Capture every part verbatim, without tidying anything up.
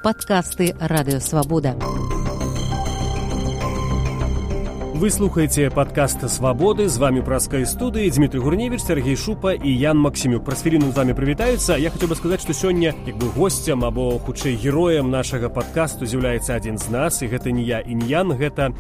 Падкасты Радыё Свабода. Вы слухаете падкаст «Свободы». З вами праскай студыі Дмітрый Гурневіч, Сергей Шупа і Ян Максімюк. Праз хвіліну з вами прывітаюцца. Я хацеў бы сказаць, што сёння як бы госцем або хутчэй героем нашага падкасту з'яўляецца адзін з нас, і гэта не я і не Ян, гэта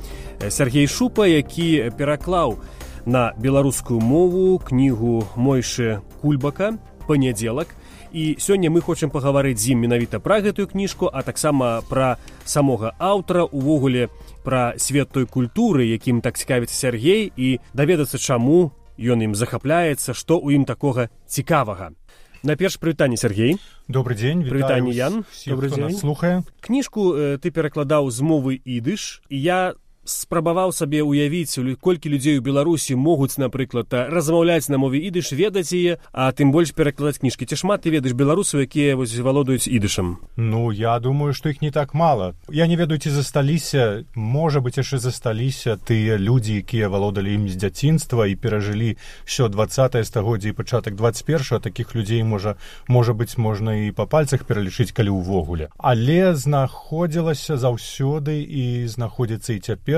Сергей Шупа, які пераклаў на беларускую мову кнігу Мойшы Кульбака «Панядзелак». І сёння мы хочам пагаварыць з ім менавіта пра гэтую кніжку, а таксама пра самога аўтара, увогуле пра свет той культуры, якім так цікавіцца Сергей, і даведацца, чаму ён ім захапляецца, што ў ім такога цікавага. Найперш прывітанне, Сергей. Добрый дзень, вітаю Ян. Всіх, хто нас слухае. Кніжку э, ты перакладаў з мовы ідыш, і я спрабаваў сабе ўявіць, колькі людзей у Беларусі могуць, напрыклад, размаўляць на мове ідыш, ведаць яе, а тым больш перакладаць кніжкі. Ці шмат ты ведаеш беларусаў, якія вось валодаюць ідышам? Ну, я думаю, што іх не так мала. Я не ведаю, ці засталіся, можа быць, яшчэ засталіся тыя людзі, якія валодалі ім з дзяцінства і перажылі ўсё дваццатае стагоддзе і пачатак дваццаць першага. Такіх людзей, можа, можа быць, можна і па пальцах пералічыць, калі ўвогуле. Але знаходзілася заўсёды і знаходзіцца і цяпер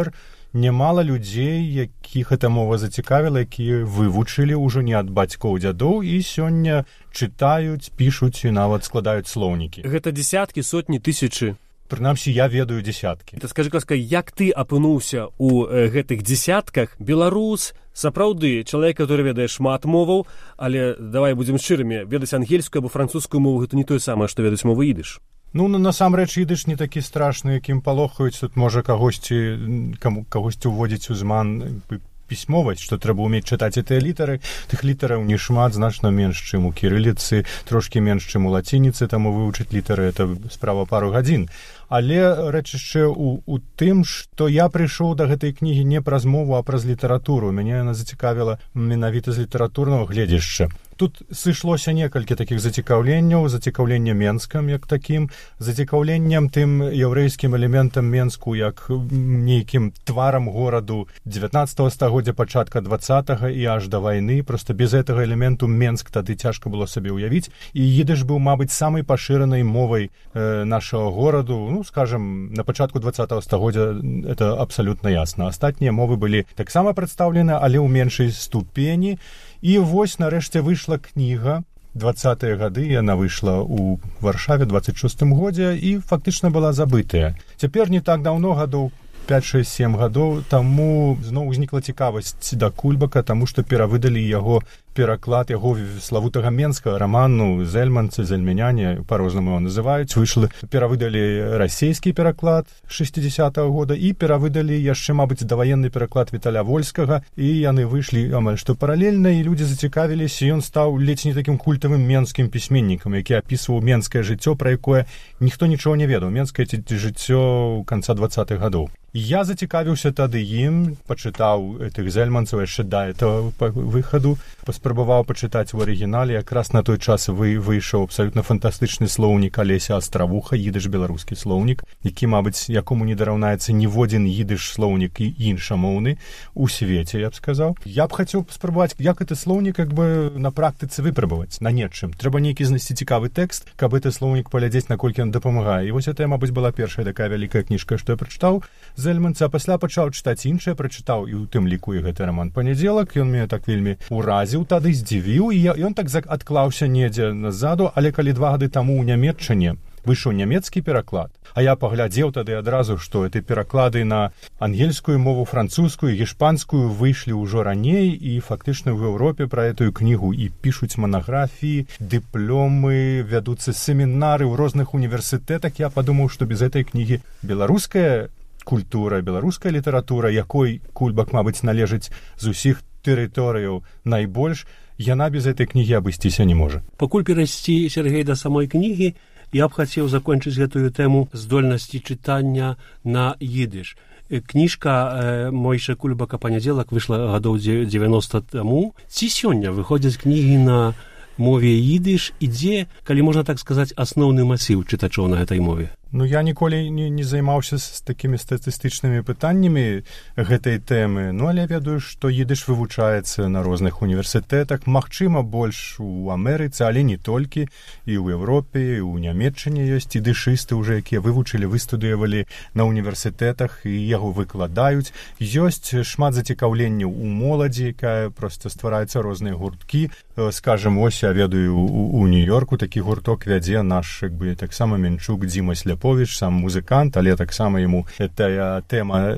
нямала людзей, якіх эта мова зацікавіла, якія вывучылі ўжо не ад бацькоў, дзядоў і сёння чытаюць, пішуць і нават складаюць слоўнікі. Гэта дзесяткі, сотні, тысячы? Прынамсі, я ведаю дзесяткі. Ты скажы, ласка, як ты апынуўся ў э, гэтых дзесятках? Беларус, сапраўды, чалавек, который ведае шмат моваў, але, давай будзем шчырымі, ведаць ангельскую або французскую мову, гэта не тое самае, што ведаць мову ідыш. Ну, насамрэч, ідыш не такі страшны, якім палохаюць. Тут можа кагосьці, каму, кагосьці ўводзіць у зман пісьмовасць, што трэба ўмець чытаць гэтыя літары. Тых літараў не шмат, значна менш, чым у кірыліцы, трошкі менш, чым у лацініцы, таму вывучыць літары — это справа пару гадзін. Але рэч яшчэ ў, у тым, што я прыйшоў да гэтай кнігі не праз мову, а праз літаратуру. Мяне яна зацікавіла менавіта з літаратурнага гледзяшча. Тут сышлося некалькі такіх зацікаўленняў, зацікаўленне Менскам як такім, зацікаўленнем тым яўрэйскім элементам Менску як нейкім тварам гораду дзевятнаццатага стагоддзя, пачатка дваццатага і аж да вайны. Проста без гэтага элементу Менск тады цяжка было сабе ўявіць. І ідыш быў, мабыць, самай пашыранай мовай э, нашага гораду. Ну, скажем, на пачатку дваццатага стагоддзя это абсалютна ясна. Астатнія мовы былі таксама прадстаўлены, але ў меншай ступені. І вось нарэшце выйшла кніга. Дваццатыя гады яна выйшла ў Варшаве дваццаць шостым годзе і фактычна была забытая. Цяпер не так даўно, гадоў пяць шэсць сем гадоў, таму зноў узнікла цікавасць да Кульбака, таму што перавыдалі яго пераклад яго славутага менскага раману «Зельманцы», «Зельмяняне», па-рознаму его называюць. Выйшлі, перавыдалі расійскі пераклад шэсцідзесятага года і перавыдалі яшчэ, мабыць, даваенны пераклад Віталя Вольскага, і яны выйшлі амаль што паралельна, і людзі зацікавіліся, і ён стаў ледзь не такім культавым менскім пісьменнікам, які апісваў менскае жыццё, пра якое ніхто нічого не ведаў, менскае жыццё канца дваццатых гадоў. Я зацікавіўся тады ім, пачытаў этых зельманцаў яшчэ да этого выхаду, паспрабаваў пачытаць у арыгінале. Якраз на той час вы, выйшаў абсалютна фантастычны слоўнік Алеся Астравуха, ідыш-беларускі слоўнік, які, мабыць, якому не дараўнаецца ніводзін ідыш-слоўнік і іншамоўны у свеце, я б сказаў. Я б хацеў спрабаваць, як гэты слоўнік як бы на практыцы выпрабаваць, на нечым. Трэба нейкі знайсці цікавы тэкст, каб гэты слоўнік паглядзець, наколькі ён дапамагае. І вось гэта, мабыць, была першая такая вялікая кніжка, што я прачытаў Зельманца, а пасля пачаў чытаць іншае, прачытаў і ў тым ліку і гэты раман «Панядзелак». Ён мяне так вельмі ўразіў, тады здзівіў, і ён так адклаўся недзе назаду, але калі два гады таму ў Нямецчыне выйшаў нямецкі пераклад, а я паглядзеў тады адразу, што гэты пераклады на ангельскую мову, французскую, гішпанскую выйшлі ўжо раней, і фактычна ў Еўропе пра гэтую кнігу і пішуць манаграфіі, дыпломы, вядуцца семінары ў розных універсітэтах. Я падумаў, што без гэтай кнігі беларуская культура, беларуская літаратура, якой Кульбак, мабыць, належыць з усіх тэрыторыяў найбольш, яна без гэтай кнігі абысціся не можа. Пакуль перайсці, Сергей, да самой кнігі, я б хацеў закончыць гэтую тэму здольнасці чытання на ідыш. Кніжка Мойшы Кульбака «Панядзелак» выйшла гадоў дзевяноста таму. Ці сёння выходзяць кнігі на мове ідыш, і дзе, калі можна так сказаць, асноўны масіў чытачоў на гэтай мове? Ну, я ніколі не, не займаўся з такімі статыстычнымі пытаннямі гэтай тэмы, ну, але ведаю, што ідыш вывучаецца на розных універсітэтах, магчыма, больш у Амерыцы, але не толькі, і ў Еўропе, і ў Нямецчыне ёсць ідышысты ўжо, якія вывучылі, выстудыявалі на універсітэтах і яго выкладаюць. Ёсць шмат зацікаўленняў у моладзі, якая проста ствараюцца розныя гурткі. Скажем, ось я ведаю, у, у Нью-Йорку такі гурток вядзе наш, як бы, таксама Менчук Дзіма Сляповіч, сам музыкант, але таксама яму гэтая тэма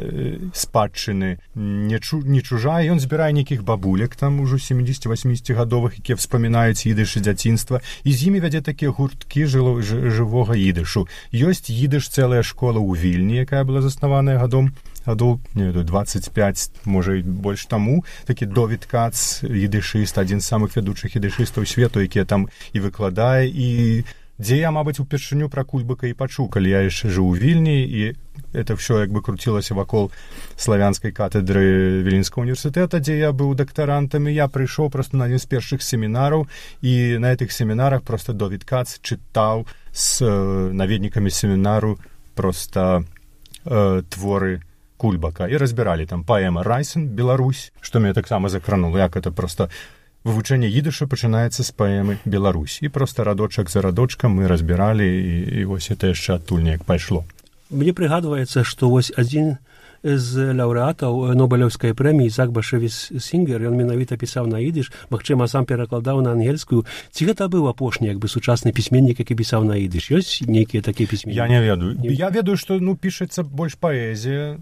спадчыны не, чу, не чужая. Ён збірае нейкіх бабулек, там ужо сямдзесят-восемдзесятгадовых, якія вспамінаюць ідыш і дзяцінства, і з імі вядзе такія гурткі жыло, ж, жывога ідышу. Ёсць ідыш цэлая школа ў Вільні, якая была заснаваная гадом гадоў, не ведаю, двадцать пять, можа, і больш таму. Такі Довід Кац, ідышыст, адзін з самых вядучых ідышыстаў свету, які там і выкладае, і дзе я, мабыць, упершыню пра Кульбака і пачуў, калі я яшчэ жыў у Вільні, і это ўсё як бы круцілася вакол славянскай катедры Віленскага універсітэта, дзе я быў дактарантам, і я прыйшоў проста на адзін з першых семінараў, і на гэтых семінарах проста Довід Кац чытаў з э, наведнікамі семінару проста э, творы Кульбака, і разбіралі там паэма «Райсен», «Беларусь», што мяне таксама закранула, як это проста вывучэнне ідыша пачынаецца з паэмы «Беларусь». І проста радочак за радочкам мы разбіралі, і, і вось это яшчэ адтуль неяк пайшло. Мне прыгадваецца, што вось адзін з лаўрэатаў Нобелеўскай прэміі Ісаак Башевіч Сінгер, ён менавіта пісаў на ідыш, магчыма, сам перакладаў на ангельскую. Ці гэта быў апошні, як бы, сучасны пісьменнік, які пісаў на ідыш? Ёсць нейкія такія пісьменнікі? Я не ведаю. Не... Я ведаю, што, ну, пішацца больш паэзія,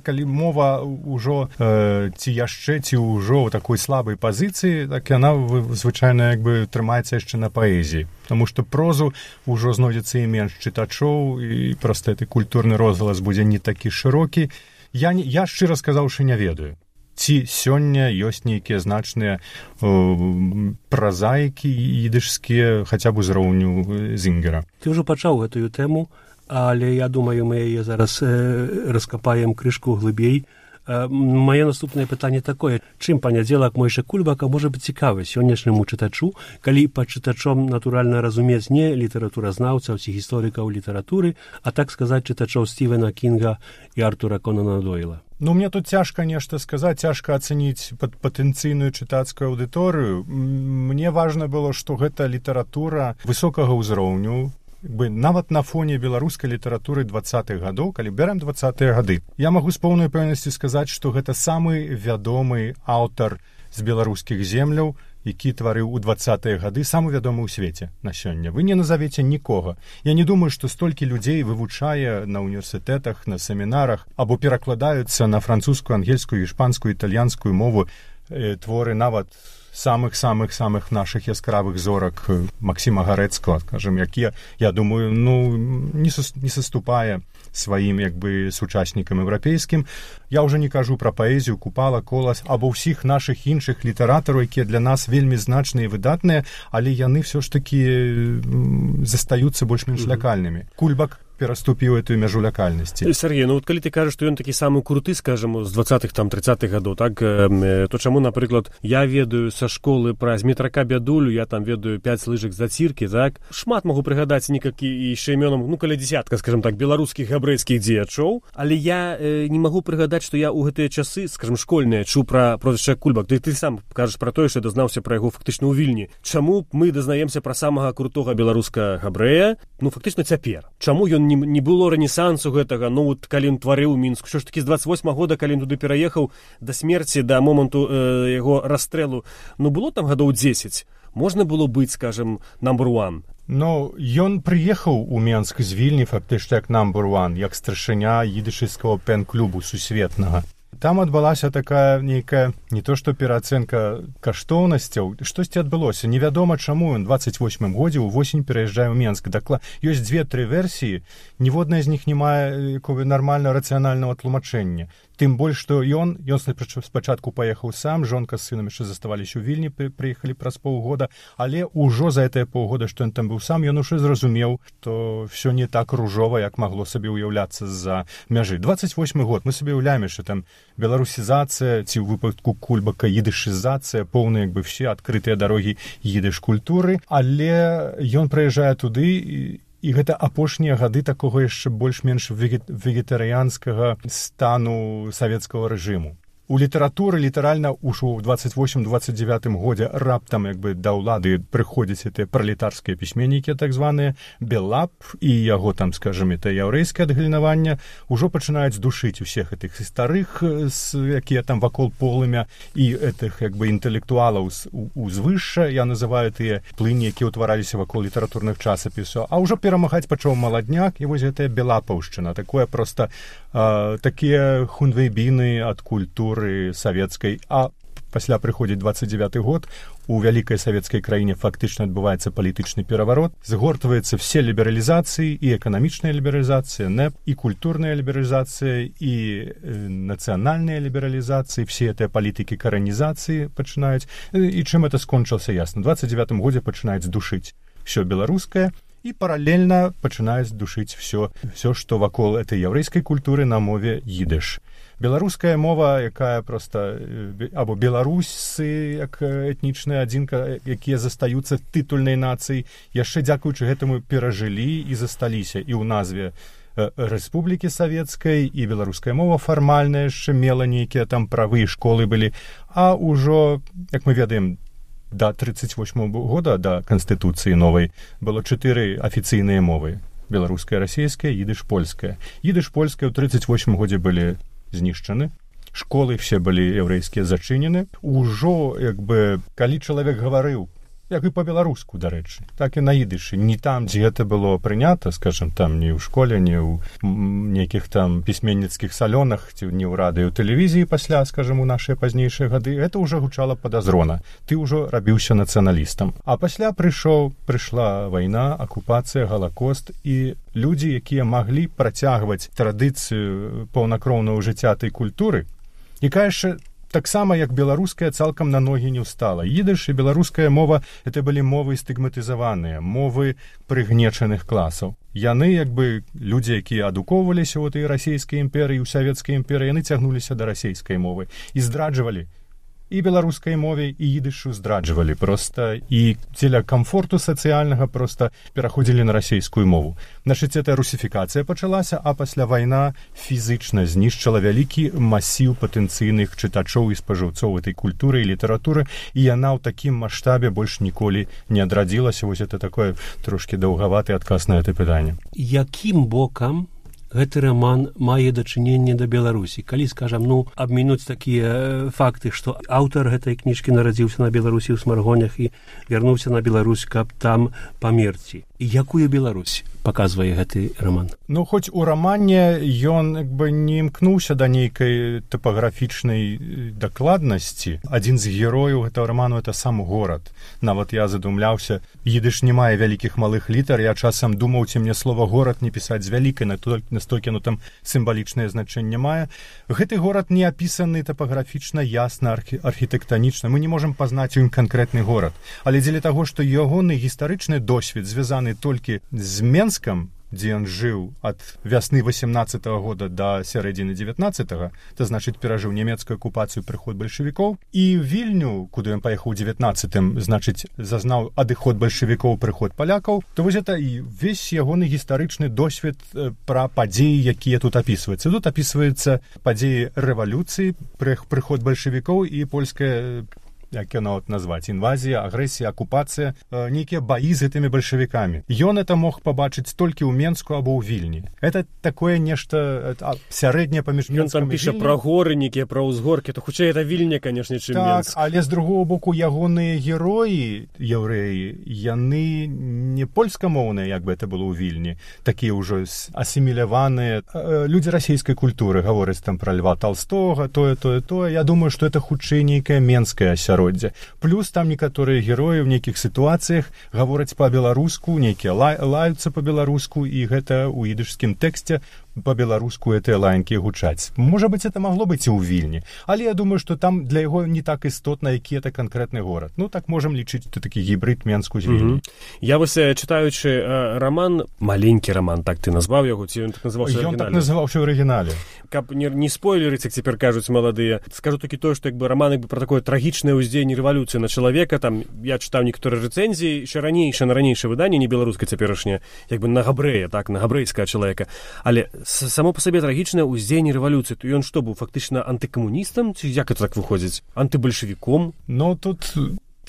калі мова ўжо э, ці яшчэ, ці ўжо ў такой слабай пазіцыі, так яна звычайна, як бы, трымаецца яшчэ на паэзіі. Таму што прозу ўжо знойдзецца і менш чытачоў, і проста гэты культурны розгалас будзе не такі шырокі. Я, не, я шчыра сказаўшы, не ведаю. Ці сёння ёсць нейкія значныя э, празаікі ідышскія, хаця б узроўню Зінгера. Ты ўжо пачаў гэтую тэму, але я думаю, мы яе зараз э, раскапаем крышку глыбей. Э, Мае наступнае пытанне такое: чым панядзелак Мойша Кульбака можа быць цікавы сённяшняму чытачу, калі пад чытачом натуральна разумець не літаратуразнаўцаў ці гісторыкаў літаратуры, а так сказаць чытачоў Стівена Кінга і Артура Конана Дойла? Ну, мне тут цяжка нешта сказаць, цяжка ацаніць пад патэнцыйную чытацкую аўдыторыю. Мне важна было, што гэта літаратура высокага ўзроўню, бы нават на фоне беларускай літаратуры двадцатых гадоў, калі бярем двадцатыя гады. Я магу з поўнай пэўнасці сказаць, што гэта самы вядомы аўтар з беларускіх земляў, які тварыў у двадцатыя гады, самы вядомы ў свеце на сёння. Вы не назавеце нікога. Я не думаю, што столькі людзей вывучае на універсітэтах, на семінарах, або перакладаюцца на французскую, ангельскую, іспанскую, італьянскую мову э, творы нават самых-самых-самых наших яскравых зорак Максима Гарэцкага, скажем, якія, я думаю, ну, не, сос, не саступае сваім, як бы, сучаснікам еўрапейскім. Я ўжо не кажу пра паэзію Купала, Колас, або ўсіх нашых іншых літаратараў, якія для нас вельмі значныя і выдатныя, але яны ўсё ж такі застаюцца больш-менш лякальнымі. Кульбак пераступіў эту мяжу лякальнасці. Сергей, ну вот калі ты кажаш, што ён такі самы круты, скажем, з двадцатых, там, тридцатых гадоў, так, то чаму, напрыклад, я ведаю са школы пра Змітрака Бядулю, я там ведаю пяць лыжак заціркі, так? Шмат магу прыгадаць некалькі яшчэ імёнам, ну, каля дзесятка, скажем так, беларускіх габрэйскіх дзеячоў, але я э, не магу прыгадаць, што я ў гэтыя часы, скажем, школьныя, чуў пра прозвішча Кульбак. Ты, ты сам кажаш пра тое, што дазнаўся пра яго фактычна ў Вільні. Чаму мы дазнаемся пра самага крутога беларуска габрэя, ну, фактычна цяпер? Чаму ён не, не было рэнесансу гэтага, ну, вот, калі ён тварыў Мінску, що ж такі з двадцать восьмага года, калі ён туды пераехаў да смерці, да моманту э, яго расстрэлу, ну, было там гадоў дзесяць, можна было быць, скажем, number one. Ну, ён прыехаў у Менск з Вільні фактычна як number one, як старшыня ідышыцкага пен-клубу сусветнага. Там адбылася такая нейкая, не то што пераацэнка каштоўнасцяў, штосьці адбылося. Невядома, чаму ён двадцать восьмым годзе ўвосень пераязджае ў Менск. Дакла... Ёсць дзве-тры версіі, ніводная з них не мае нармальна рацыянальнага тлумачэння. Тым больш, што ён, ён спачатку паехаў сам, жонка з сынам яшчэ заставаліся ў Вільні, прыехалі праз паўгода, але ўжо за гэтае паўгода, што ён там быў сам, ён уже зразумеў, што ўсё не так ружова, як магло сабе ўяўляцца з-за мяжы. двадцать восьмы год, мы сабе ўяўляем, што там беларусізацыя, ці ў выпадку Кульбака ідышызацыя, поўныя, як бы, все адкрытыя дарогі ідыш культуры, але ён прыязджае туды і І гэта апошнія гады такога яшчэ больш-менш вегетарыянскага стану савецкага рэжыму. У літаратуры літаральна ўжо ў дваццаць восьмым дваццаць дзевятым годзе раптам як бы да ўлады прыходзяць гэтыя пралетарскія пісьменнікі, так званыя Белап і яго там, скажем, это яўрэйскае адгалінаванне, ужо пачынаюць душыць усіх гэтых старых, якія там вакол полымя, і гэтых як бы інтэлектуалаў узвышша, я называю тыя плыні, якія ўтвараліся вакол літаратурных часапісаў, а ўжо перамагаць пачаў маладняк, і вось гэтая белапаўшчына, такое проста э, такія хунвейбіны ад культуры савецкай, а пасля прыходзіць дваццаць дзевяты год, у вялікай савецкай краіне фактычна адбываецца палітычны пераварот, згортваюцца все лібералізацыі, і эканамічная лібералізацыя, нэп, і культурная лібералізацыя, і э, нацыянальная лібералізацыі, все гэтыя палітыкі каранізацыі пачынаюць, і чым это скончылася ясна. У дваццаць дзевятым годзе пачынаюць душыць все беларускае, і паралельна пачынаюць душыць все, все, што вакол этой яўрэйскай культуры на мове ідыш. Беларуская мова, якая проста, або беларусы, як этнічная адзінка, якія застаюцца тытульнай нацыяй, яшчэ дзякуючы гэтаму перажылі і засталіся і ў назве Рэспублікі Савецкай, і беларуская мова фармальная яшчэ мела нейкія там правы, школы былі, а ўжо, як мы ведаем, да тридцать восьмого года, да Канстытуцыі новай, было чатыры афіцыйныя мовы. Беларуская, расійская, ідыш, польская. Ідыш, польская ў тридцать восьмым годзе былі знішчаны, школы все былі яўрэйскія зачынены. Ужо, як бы, калі чалавек гаварыў, як і па-беларуску, дарэчы, так і на ідышы, не там, дзе гэта было прынята, скажем, там не ў школе, не ў нейкіх там пісьменніцкіх салёнах, ці не ў радыё, тэлевізіі пасля, скажем, у нашыя пазнейшыя гады, гэта ўжо гучала падазрона. Ты ўжо рабіўся нацыяналістам. А пасля прыйшоў, прыйшла вайна, акупацыя, галакост, і людзі, якія маглі працягваць традыцыю паўнакроўнага жыцця той культуры, якая яшчэ таксама, як беларуская, цалкам на ногі не ўстала. Ідыш і беларуская мова — это былі мовы стыгматызаваныя, мовы прыгнечаных класаў. Яны, як бы, людзі, якія адукоўваліся ў той расійскай імперыі, у савецкай імперыі, яны цягнуліся да расійскай мовы і здраджвалі. І беларускай мове, і ідышу здраджвалі проста, і дзеля камфорту сацыяльнага проста пераходзілі на расійскую мову. Значыць, эта русіфікацыя пачалася, а пасля вайна фізычна знішчыла вялікі масіў патэнцыйных чытачоў і спажыўцоў этой культуры і літаратуры, і яна ў такім маштабе больш ніколі не адрадзілася. Вось это такое трошкі даўгаваты адказ на гэта пытанне. Якім бокам гэты роман мае дачыненне да Беларусі? Калі, скажам, ну, абмінуць такія факты, што аўтар гэтай кніжкі нарадзіўся на Беларусі ў Смаргонях і вярнуўся на Беларусь, каб там памерці. Якую Беларусь паказвае гэты роман? Ну, хоць у рамане ён як бы не імкнуўся да нейкай тапаграфічнай дакладнасці. Адзін з герояў гэтага раману — это сам горад. Нават я задумляўся, ідыш не мае вялікіх малых літар, я часам думаў, ці мне слова горад не пісаць з вялікай, настолькі оно там сімвалічнае значэнне мае. Гэты горад не апісаны тапаграфічна ясна, архі- архітэктанічна. Мы не можам пазнаць у ім канкрэтны горад. Але дзеля таго, што ягоны гістарычны досвед звязаны толькі з Менскам, дзе ён жыў ад вясны восемнадцатого года да сярэдзіны девятнадцатого, то значыць перажыў нямецкую акупацыю, прыход бальшавікоў, і Вільню, куды ён паехаў у девятнадцатым, значыць зазнаў адыход бальшавікоў, прыход палякаў, то вось это і весь ягоны гістарычны досвед пра падзеі, якія тут апісваюцца. Тут апісваюцца падзеі рэвалюцыі, прыход бальшавікоў і польская, як яно назваць, інвазія, агрэсія, акупацыя, э, нейкія баі з гэтымі бальшавікамі. Ён это мог пабачыць толькі ў Менску або ў Вільні. Это такое нешта сярэдняе паміж Менскам і Вільні. Ён там піша пра горы, нейкія пра ўзгоркі, то хутчэй это Вільня, канешне, чым так, Менск. Але з другого боку ягоныя героі, яўрэі, яны не польскамоўныя, як бы это было ў Вільні, такія ўжо асіміляваныя. Людзі расійскай культуры гавораць там пра Льва Толстога, тое, тое, тое. Я думаю, што это хутчэй нейкая менская асяроддзе. Плюс там некаторыя героі ў нейкіх сітуацыях гавораць па-беларуску, нейкія лай, лаюцца па-беларуску, і гэта ў ідышскім тэксце по-беларуску гэтыя лаянкі гучаць. Можа быць, это магло быць і ў Вільні, але я думаю, што там для яго не так істотна, які это канкрэтны горад. Ну, так можам лічыць, што такі гібрид Менску з Вільні. Mm-hmm. Я вось, чытаючы э, роман, маленькі роман, так ты назваў яго, ці ён так называўся ў арыгінале? Ён так называўся ў арыгінале. Каб не, не спойлерыць, як цяпер кажуць маладыя, скажу толькі тое, што як бы роман як бы, пра такое трагічнае ўздзеянне рэвалюцыі на чалавека, там, я чытаў некаторыя рэцэнзіі, ще ранейшае, на ранейшае выданне, не беларускае цяперашняе, як бы на габрэя, так, на габрэйскага чалавека. Але само па сабе трагічнае ўздзеянне рэвалюцыі, то ён што быў, фактычна антыкамуністам, ці як это так выходзіць? Антыбальшавіком? Ну, тут...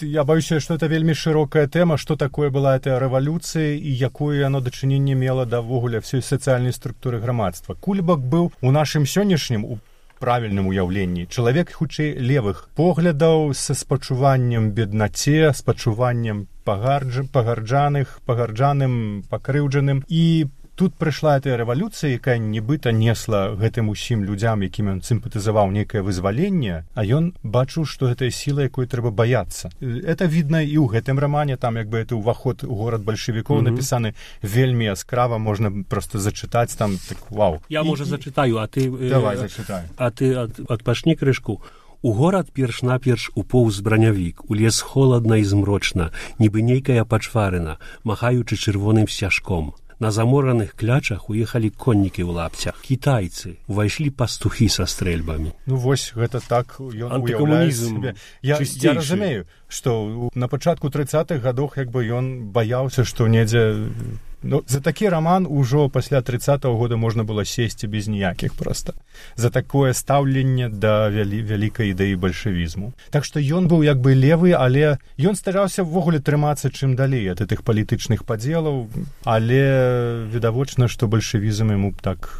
Я баюся, што это вельмі шырокая тэма, што такое была эта рэвалюцыя і якое яно дачыненне мела да ўвогуле ўсёй сацыяльнай структуры грамадства. Кульбак быў у нашым сённяшнім у правільным уяўленні чалавек хутчэй левых поглядаў са спачуваннем беднаце, спачуваннем пагардж... пагарджаных, пагарджаным, пакрыўджаным. І тут прыйшла эта рэвалюцыя, якая нібыта несла гэтым усім людзям, якім ён сімпатызаваў нейкае вызваленне, а ён бачыў, што гэтая сіла, якой трэба баяцца. Это відна і ў гэтым рамане, там як бы это ўваход у горад бальшавікоў mm-hmm. напісаны вельмі яскрава, можна проста зачытаць там, так вау. Я, можа, зачытаю, а ты... Давай, зачытай. А ты ад, адпачні крышку. У горад перш-наперш упоўз бранявік, у лес холадна і змрочна, нібы нейкая пачварына, махаючы чырвоным сцяжком. На замораных клячах уехалі коннікі ў лапцях. Кітайцы, увайшлі пастухі са стрэльбамі. Ну вось, гэта так ён уяўляе сябе. Я, я разумею, што на пачатку трыццатых гадоў як бы ён баяўся, што недзе... Ну, за такі раман ужо пасля трыццатага года можна было сесці без ніякіх проста. За такое стаўленне да вялі, вялікай ідэі бальшавізму. Так што ён быў як бы левы, але ён стараўся ўвогуле трымацца чым далей ад гэтых палітычных падзелаў, але відавочна, што бальшавізм яму так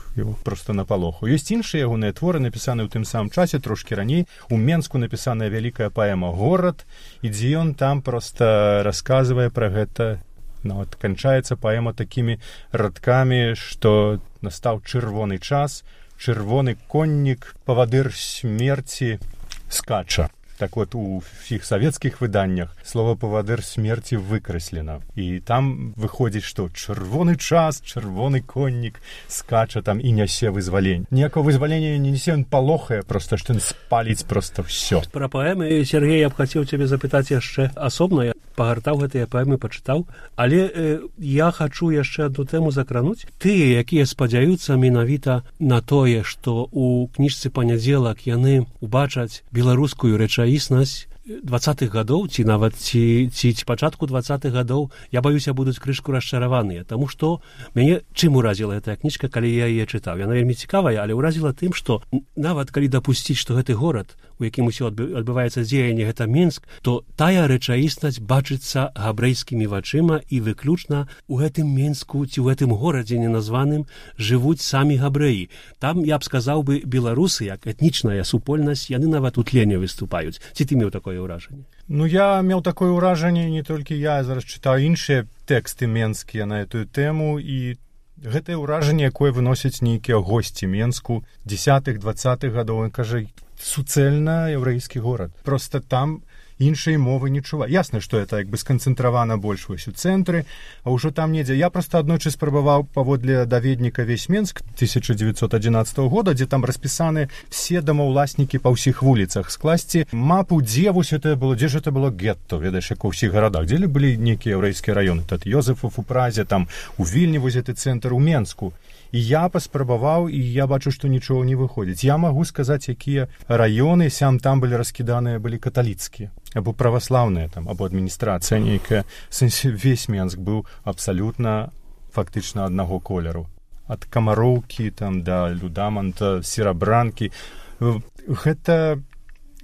проста напалоху. Ёсць іншыя ягоныя творы, напісаныя ў тым самым часе, трошкі раней. У Менску напісаная вялікая паэма «Горад», і дзе ён там проста расказвае пра гэта. Нават канчаецца паэма такімі радкамі, што настаў чырвоны час, чырвоны коннік, павадыр смерці скача. Так вот, у всіх савецкіх выданнях слова «павадыр смерці» выкраслена. І там выходзіць, што чырвоны час, чырвоны коннік скача там і нясе вызваленне. Ніякого вызвалення не нясе, ён палохае, проста, што ён спаліць проста ўсё. Пра паэмы, Сергей, я б хацеў цябе запытаць яшчэ асобна. Я пагартаў гэтыя паэмы, пачытаў. Але э, я хачу яшчэ адну тэму закрануць. Тыя, якія спадзяюцца менавіта на тое, што у кніжцы «Панядзелак» яны убачаць беларускую рэчаіснасць двадцатых гадоў, ці нават ці, ці, ці пачатку двадцатых гадоў, я баюся, будуць крышку расчараваныя, таму што мяне чым уразіла гэтая кніжка, калі я яе чытаў. Яна вельмі цікавая, але ўразіла тым, што нават калі дапусціць, што гэты горад, у якім усё адбываецца дзеянне, гэта Менск, то тая рэчаіснасць бачыцца габрэйскімі вачыма і выключна у гэтым Менску ці ў гэтым горадзе неназваным жывуць самі габрэі. Там, я б сказаў бы, беларусы, як этнічная супольнасць, яны нават у тле не выступаюць. Ці ты меў такое ўражанне? Ну, я меў такое ўражанне, не толькі я, зараз чытаю іншыя тэксты менскія на эту тэму, і гэтае ўражанне, якое выносяць нейкія госці Менску дзесятых двадцатых гадоў, ён кажа, суцэльна яўрэйскі горад. Проста там іншай мовы не чува. Ясна, што это як бы сканцэнтравана больш вось у цэнтры, а ўжо там недзе. Я проста аднойчы спрабаваў паводле даведніка «Весь Менск» тысяча девятьсот одиннадцатого года, дзе там распісаны все домаўласнікі па ўсіх вуліцах, скласці мапу, дзе вось это было, дзе ж это было гетто, ведаеш, як у ўсіх гарадах, дзе былі нейкія яўрэйскія раёны, тат Йозефов у Празе, там у Вільні вось гэты цэнтр, у Менску. І я паспрабаваў, і я бачу, што нічого не выходзіць. Я магу сказаць, якія раёны сям-там былі раскіданыя, былі каталіцкія, або праваслаўныя, там, або адміністрацыя нейкая. В сэнсе, весь Менск быў абсалютна фактычна аднаго колеру. Ад Камароўкі, там, да Людаманта, Серабранкі. Гэта...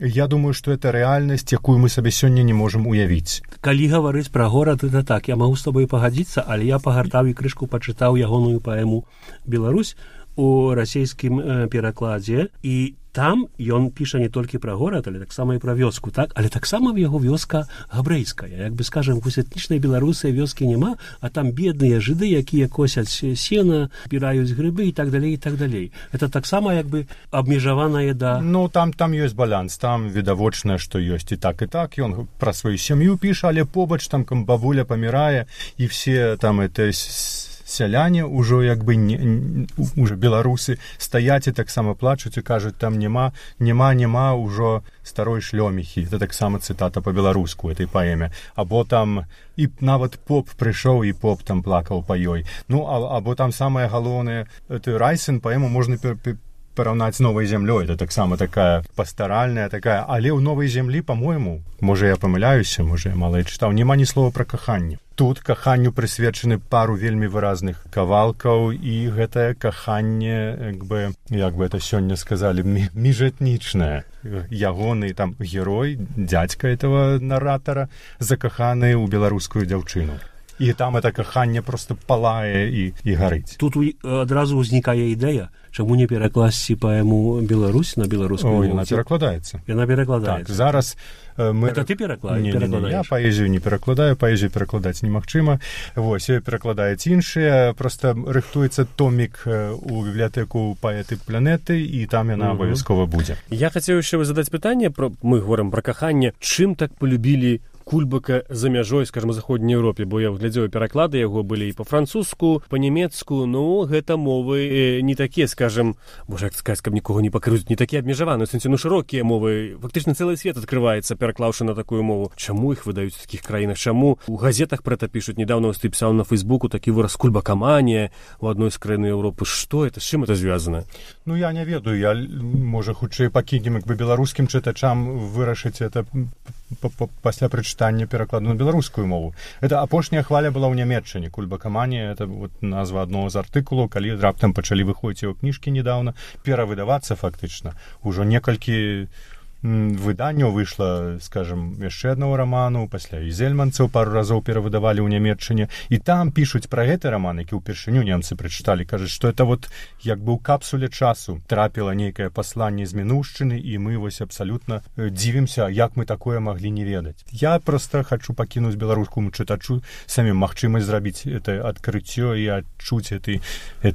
Я думаю, што это рэальнасць, якую мы сабе сёння не можам уявіць. Калі гаварыць пра горад, это так, я магу з тобой пагадзіцца, але я пагартаў і крышку пачытаў ягоную паэму «Беларусь» у расійскім э, перакладзе, і там ён піша не толькі пра горад, але таксама і пра вёску, так? Але таксама в яго вёска габрэйская. Як бы, скажем, вось этнічнай беларусы вёскі няма, а там бедныя жыды, якія косяць сена, збіраюць грыбы і так далей, і так далей. Это таксама як бы абмежаванае да... Ну, там, там ёсць баланс, там відавочна, што ёсць і так, і так. Ён пра сваю сям'ю піша, але побач там бабуля памірае, і все там это... сяляне ўжо як бы не, не, уже беларусы стаяць і таксама плачуць і кажуць, там няма, няма, няма ўжо старой шлёміхі. Это таксама цытата па-беларуску этой паэме. Або там і нават поп прыйшоў, і поп там плакаў па ёй. Ну, а, або там самае галоўнае, ты Райсэн паэму можна пер, пер, параўнаць з новай зямлёй. Это таксама такая пастаральная, такая, але ў новай зямлі, па-мойму, можа я памыляюся, можа я мала чытаў, няма ні слова пра каханне. Тут каханню прысвечаны пару вельмі выразных кавалкаў, і гэтае каханне, як бы, як бы это сёння сказалі, міжэтнічнае. Ягоны там герой, дзядзька этого наратара, закаханы ў беларускую дзяўчыну. І там это каханне просто палае і, і гарыць. Тут адразу ўзнікае ідэя, чаму не перакласці паэму «Беларусь» на беларускую мову? Яна перакладаецца. Яна перакладаецца. Так, зараз мы... Это ты перакладаеш? Не, не, не, я паэзію не перакладаю, паэзію перакладаць немагчыма. Вось, перакладаюць іншыя, проста рыхтуецца томік у бібліятэку «Паэты планеты», і там яна абавязкова будзе. Я хацеў яшчэ задаць пытанне, про... мы говорим пра каханне. Чым так полюбілі Кульбака за мяжой, скажем, у заходняй Еўропе, бо я глядзеў пераклады яго былі і па-французску, па-нямецку, ну, гэта мовы э, не такія, скажем, можа, як сказаць, каб нікога не пакрыўць, не такія абмежаваныя, в сэнсе, ну, шырокія мовы, фактычна цэлы свет адкрываецца, пераклаўшы на такую мову. Чаму іх выдаюць у такіх краінах? Чаму у газетах пра гэта пішуць? Недавно вось ты пісаў на Фейсбуку такі выраз кульбакаманія у адной з краін Еўропы. Што это? З чым это звязана? Ну, я не ведаю, я, можа, хутчэй пакінем, як бы беларускім чытачам вырашыць это пасля прачытання перакладу на беларускую мову. Это апошняя хваля была ў Нямецчыне. Кульбакаманія, это вот назва аднаго з артыкулаў, калі раптам пачалі выходзіць яго кніжкі недавно, перавыдавацца фактычна. Ужо некалькі выданняў выйшла, скажем, яшчэ аднаго раману, пасля і зельманцаў пару разоў перавыдавалі ў Нямецчыне, і там пішуць пра гэты раман, які ўпершыню немцы прачыталі, кажуць, што это вот як бы ў капсуле часу трапіла нейкае пасланне з мінуўшчыны, і мы вось абсалютна дзівімся, як мы такое маглі не ведаць. Я проста хачу пакінуць беларускаму чытачу самім магчымасць зрабіць это адкрыццё і адчуць этой,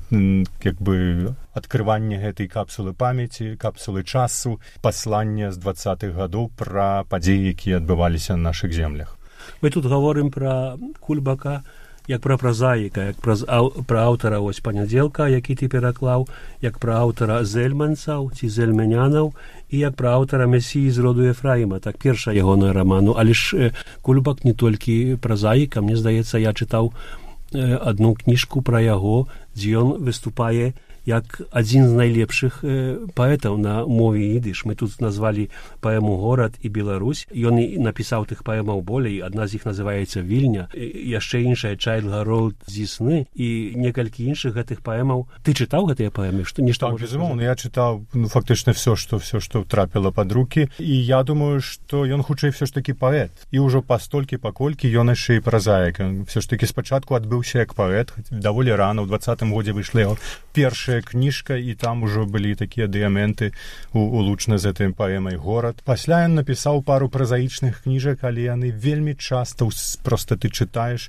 як бы, адкрыванне гэтай капсулы памяці, капсулы часу, паслання з двадцатых гадоў пра падзеі, якія адбываліся на нашых землях. Мы тут гаворым пра Кульбака як пра празаіка, як пра, ау, пра аўтара ось «Панядзелка», які ты пераклаў, як пра аўтара зельманцаў ці зельмянянаў, і як пра аўтара «Месіі з роду Ефраіма», так, перша ягоная раману. Але ж Кульбак не толькі празаіка, мне здаецца, я чытаў адну кніжку пра яго, дзе ён выступае як адзін з найлепшых э, паэтаў на мове ідыш. Мы тут назвалі паэму «Горад» і «Беларусь». Ён і напісаў тых паэмаў болей. Адна з іх называецца «Вільня», яшчэ іншая «Чайлд Гаролд зі сны» і некалькі іншых гэтых паэмаў. Ты чытаў гэтыя паэмы? Што, нешта так, безумоўна, я чытаў ну, фактычна все, што все, што трапіла пад рукі. І я думаю, што ён хутчэй все ж такі паэт. І ўжо пастолькі, паколькі ён яшчэ і празаік. Все ж такі спачатку адбыўся як паэт. Даволі рана, ў двадцатым годзе выйшла яго першая кніжка, і там ужо былі такія дыяменты улучна з этой паэмай «Горад». Пасля ён напісаў пару празаічных кніжак, але яны вельмі часта проста ты чытаеш,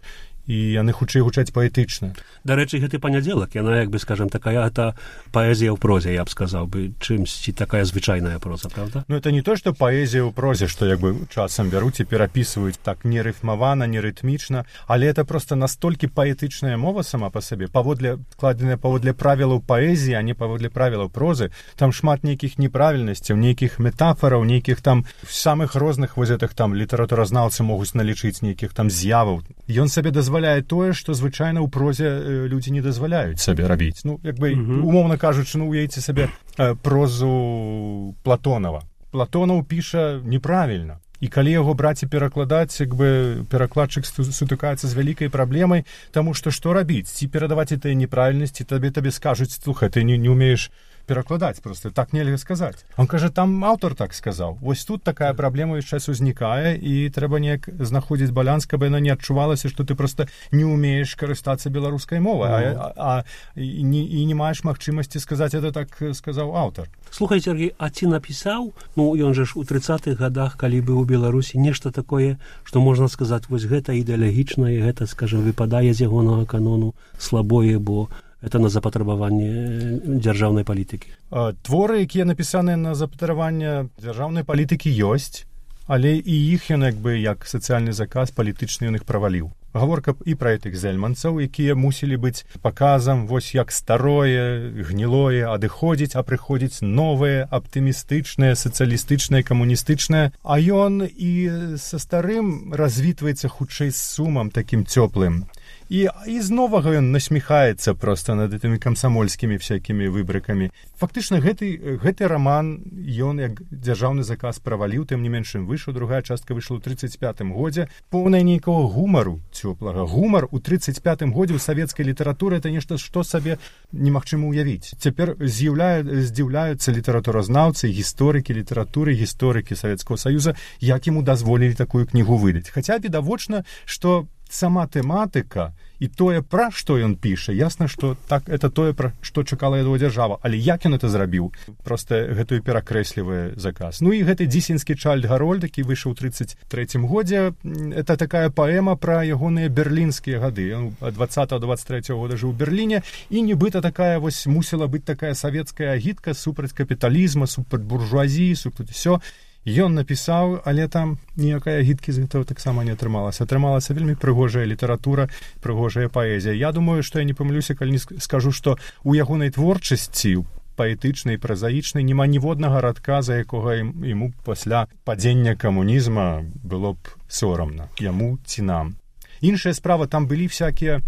і яны хутчэй гучаць паэтычна. Дарэчы, гэты «Панядзелак», яна, як бы, скажем, такая это паэзія ў прозе, я б сказаў бы, чымсьці такая звычайная проза, правда? Ну, это не то, што паэзія ў прозе, што, як бы, часам бяруць і перапісваюць так не рыфмавана, не рытмічна, але это просто настолькі паэтычная мова сама па сабе, паводле, складзеная паводле правілаў паэзіі, а не паводле правілаў прозы. Там шмат нейкіх неправільнасцяў, нейкіх метафораў, нейкіх там самых розных вось гэтых там літаратуразнаўцы могуць налічыць нейкіх там з'яваў. Ён сабе дазваляе тое, што звычайна ў прозе людзі не дазваляюць сабе рабіць. Ну, як бы, mm-hmm. умоўна кажучы, ну, уявіце сабе э, прозу Платонова. Платонаў піша неправільна. І калі яго браць і перакладаць, як бы перакладчык сутыкаецца з вялікай праблемай, таму што што рабіць? Ці перадаваць гэтыя неправільнасці, табе табе скажуць, слухай, ты не, не умееш перакладаць, просто так нельга сказаць. Он кажа, там аўтар так сказаў. Вось тут такая праблема ўвесь час узнікае, і трэба неяк знаходзіць баланс, каб яна не адчувалася, што ты просто не умееш карыстацца беларускай мовай, mm. а, а і, не, і не маеш магчымасці сказаць, это так сказаў аўтар. Слухай, Сергей, а ці напісаў, ну, ён же ж у трыццатых гадах, калі быў у Беларусі, нешта такое, што можна сказаць, вось гэта ідэалагічна, і гэта, скажем, выпадае з ягонага канону слабое, бо это на запатрабаванне дзяржаўнай палітыкі. Творы, якія напісаныя на запатрабаванне дзяржаўнай палітыкі, ёсць, але і іх ён як бы як сацыяльны заказ палітычны ён іх праваліў. Гаворка і пра гэтых зельманцаў, якія мусілі быць паказам, вось як старое, гнілое адыходзіць, а прыходзіць новае, аптымістычнае, сацыялістычнае, камуністычнае. А ён і са старым развітваецца хутчэй з сумам такім цёплым. І, і з новага ён насміхаецца проста над гэтымі камсамольскімі всякімі выбрыкамі. Фактычна, гэты, гэты раман, ён як дзяржаўны заказ праваліў, тым не менш ім выйшаў, другая частка выйшла ў трыццаць пятым годзе, поўная нейкага гумару цёплага. Гумар у трыццаць пятым годзе ў савецкай літаратуры — это нешта, што сабе немагчыма ўявіць. Цяпер з'яўляю, здзіўляюцца літаратуразнаўцы, гісторыкі літаратуры, гісторыкі Савецкага Саюза, як яму дазволілі такую кнігу выдаць. Хаця відавочна, што сама тэматыка і тое, пра што ён піша, ясна, што так, это тое, пра што чакала яго дзяржава. Але як ён это зрабіў? Проста гэтую перакрэслівае заказ. Ну і гэты дзісенскі Чайльд Гарольд, які выйшаў у трыццаць трэцім годзе, это такая паэма пра ягоныя берлінскія гады. Ён ад дваццатага да дваццаць трэцяга года жыў у Берліне, і нібыта такая вось мусіла быць такая савецкая агітка супраць капіталізма, супраць буржуазіі, супраць усё. Ён напісаў, але там ніякай агіткі з гэтага таксама не атрымалася. Атрымалася вельмі прыгожая літаратура, прыгожая паэзія. Я думаю, што я не памылюся, калі не скажу, што ў ягонай творчасці, паэтычнай, празаічнай, няма ніводнага радка, за якога яму пасля падзення камунізма было б сорамна. Яму ці нам. Іншая справа, там былі всякія...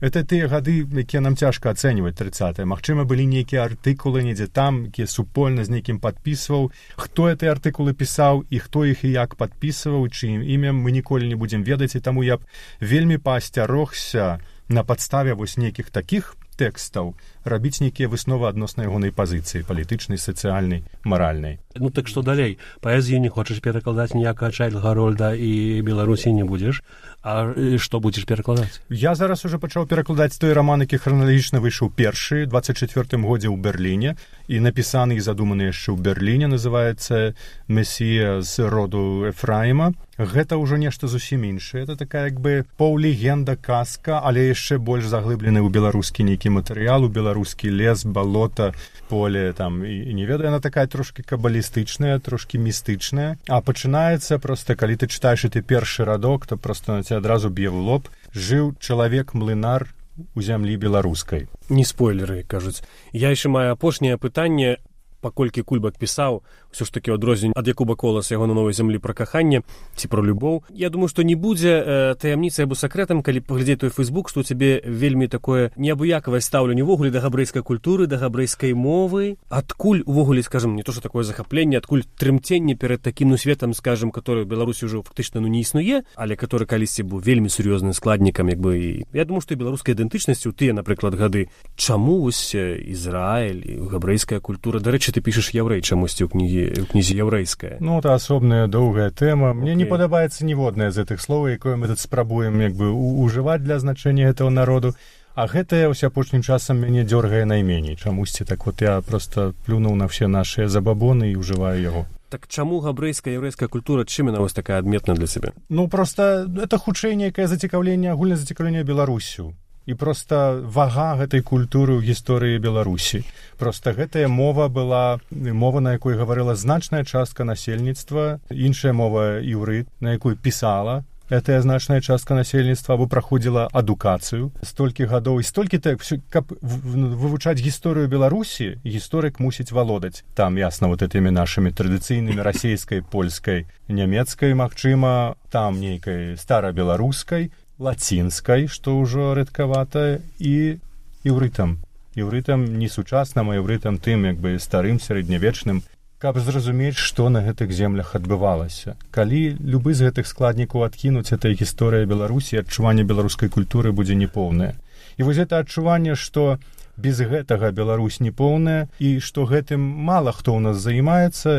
Это тыя гады, якія нам цяжка ацэньваць, трыццатыя. Магчыма, былі нейкія артыкулы недзе там, якія супольна з нейкім падпісваў. Хто гэтыя артыкулы пісаў і хто іх і як падпісваў, чыім імем, мы ніколі не будзем ведаць, і таму я б вельмі паасцярогся на падставе вось нейкіх такіх тэкстаў рабіць нейкія высновы адносна ягонай пазіцыі палітычнай, сацыяльнай, маральнай. Ну так што далей? Паэзію не хочаш перакладаць ніякага Чайльда Гарольда і Беларусі не будзеш, а што будзеш перакладаць? Я зараз уже пачаў перакладаць той раман, які храналагічна выйшаў першы, дваццаць чацвёртым годзе ў Берліне, і напісаны і задуманы яшчэ ў Берліне, называецца «Месія з роду Ефраіма». Гэта ўжо нешта зусім іншае. Это такая як бы паўлегенда, казка, але яшчэ больш заглыблены ў беларускі нейкі матэрыял, у беларускі лес, балота, поле, там, і, і не ведаю, яна такая трошкі кабалістычная, трошкі містычная. А пачынаецца проста, калі ты чытаеш ты першы радок, то проста на цябе адразу б'е ў лоб. Жыў чалавек-млынар у зямлі беларускай. Не спойлеры, кажуць. Я яшчэ маю апошняе пытанне, паколькі Кульбак пісаў ўсё ж такі адрозненне ад Якуба Коласа яго на новай зямлі пра каханне ці пра любоў. Я думаю, што не будзе э, таямніцай або сакрэтам, калі паглядзець той Фейсбук, што ў цябе вельмі такое неабыякавае стаўленне ўвогуле да габрэйскай культуры, да габрэйскай мовы. Адкуль увогуле, скажам, не то што такое захапленне, адкуль трымценне перад такім ну светам, скажам, который ў Беларусі ўжо фактычна ну не існуе, але который калісьці быў вельмі сур'ёзным складнікам, як бы. І я думаю, што і беларускай ідэнтычнасці ў тыя, напрыклад, гады. Чаму вось Ізраіль і габрэйская культура? Дарэчы, ты пішаш яўрэй чамусьці ў кнізе, ў кнізе яўрэйская. Ну, это асобная доўгая тэма. Мне okay. не падабаецца ніводнае з гэтых слоў, якое мы тут спрабуем як бы ужываць для значэння гэтага народу. А гэтае ўсё апошнім часам мяне дзёргае найменей. Чамусьці так вот я просто плюнуў на все нашыя забабоны і ўжываю яго. Так чаму габрэйская яўрэйская культура, чым яна вось такая адметная для сябе? Ну, просто это хутчэй нейкае зацікаўленне, агульнае зацікаўленне Беларусю. І проста вага гэтай культуры ў гісторыі Беларусі. Проста гэтая мова была мова, на якой гаварыла значная частка насельніцтва, іншая мова іўрыт, на якой пісала гэтая значная частка насельніцтва, або праходзіла адукацыю столькі гадоў. І столькі так, каб вывучаць гісторыю Беларусі, гісторык мусіць валодаць. Там, ясна, вот этымі нашымі традыцыйнымі расейскай, польскай, нямецкай, магчыма, там нейкай старабеларускай, лацінскай, што ўжо рэдкавата, і іўрытам. Іўрытам не сучасным, а іўрытам тым, як бы старым, сярэднявечным, каб зразумець, што на гэтых землях адбывалася. Калі любы з гэтых складнікаў адкінуць, гэта гісторыя Беларусі, адчуванне беларускай культуры будзе непоўнае. І вось гэта адчуванне, што без гэтага Беларусь непоўная, і што гэтым мала хто ў нас займаецца,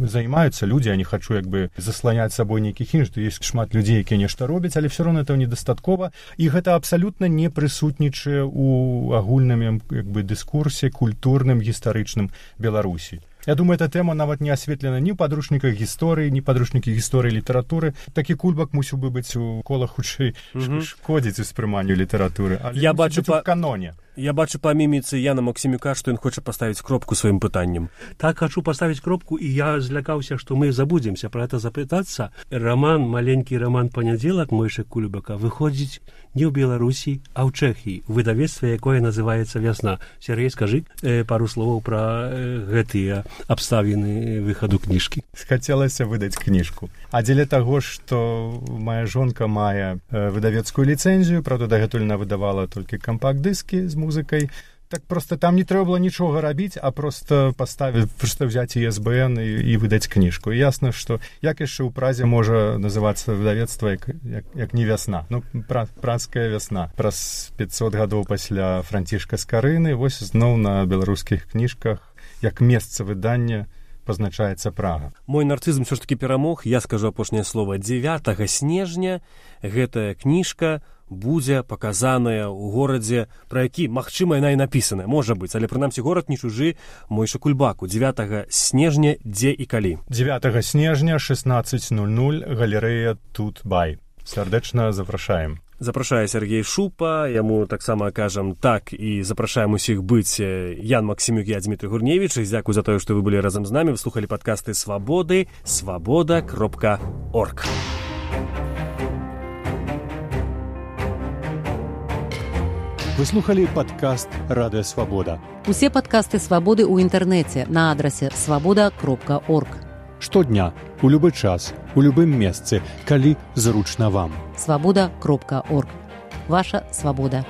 займаюцца людзі, я не хачу як бы засланяць сабой нейкіх іншых, ёсць шмат людзей, якія нешта робяць, але ўсё роўна этого недастаткова, і гэта абсалютна не прысутнічае ў агульным як бы дыскурсе культурным, гістарычным Беларусі. Я думаю, эта тэма нават не асветлена ні ў падручніках гісторыі, ні падручнікі гісторыі літаратуры. Такі Кульбак мусіў бы быць у колах хутчэй mm-hmm. шкодзіць успрыманню літаратуры, але я бачу па... у каноне. Я бачу па міміцы Яна Максімюка, што ён хоча паставіць кропку сваім пытаннем. Так, хочу поставить кропку, и я злякаўся, что мы забудемся про это запытаться. Роман, маленький роман «Понеделок» Мойши Кульбака выходит не в Беларуси, а в Чехии, в выдавецтве, якое называется «Весна». Сергей, скажи э, пару слов про э, гэтыя абставіны выходу книжки. Хацелася выдаць кніжку. А дзеля таго, што моя жонка мае э, выдавецкую ліцэнзію, правда, дагэтуль она выдавала толькі кампакт-дыскі з музыкай, так просто там не трэба было нічога рабіць, а просто паставіць, просто взяць і эс бэ эн і, і выдаць кніжку. І ясна, што як яшчэ ў празе можа называцца выдавецтва як, як, як не вясна. Ну, пра, празская вясна. Праз пятьсот гадоў пасля Францішка Скарыны вось зноў на беларускіх кніжках як месца выдання пазначаецца Прага. Мой нарцызм ўсё ж такі перамог. Я скажу апошняе слово. дзевятага снежня гэтая кніжка будзе паказаная ў горадзе, пра які, магчыма, яна і напісаная, можа быць, але прынамсі горад не чужы Мойши Кульбаку. дзевятага снежня дзе і калі? дзевятага снежня шестнадцать ноль ноль, галерэя Тут Бай. Сардэчна запрашаем. Запрашае Сергей Шупа, яму таксама кажам так і запрашаем усіх быць. Ян Максімюк, я Дмітрий Гурневіч. Дзякуй за тое, што вы былі разам з намі. Вы слухалі падкасты Свабоды, свабода кропка орг. Вы слухали падкаст «Радыё Свабода». Усе падкасты «Свабоды» ў інтэрнэце на адрасе свабода кропка орг. Штодня, у любы час, у любым месцы, калі зручна вам. свабода кропка орг. Ваша свабода.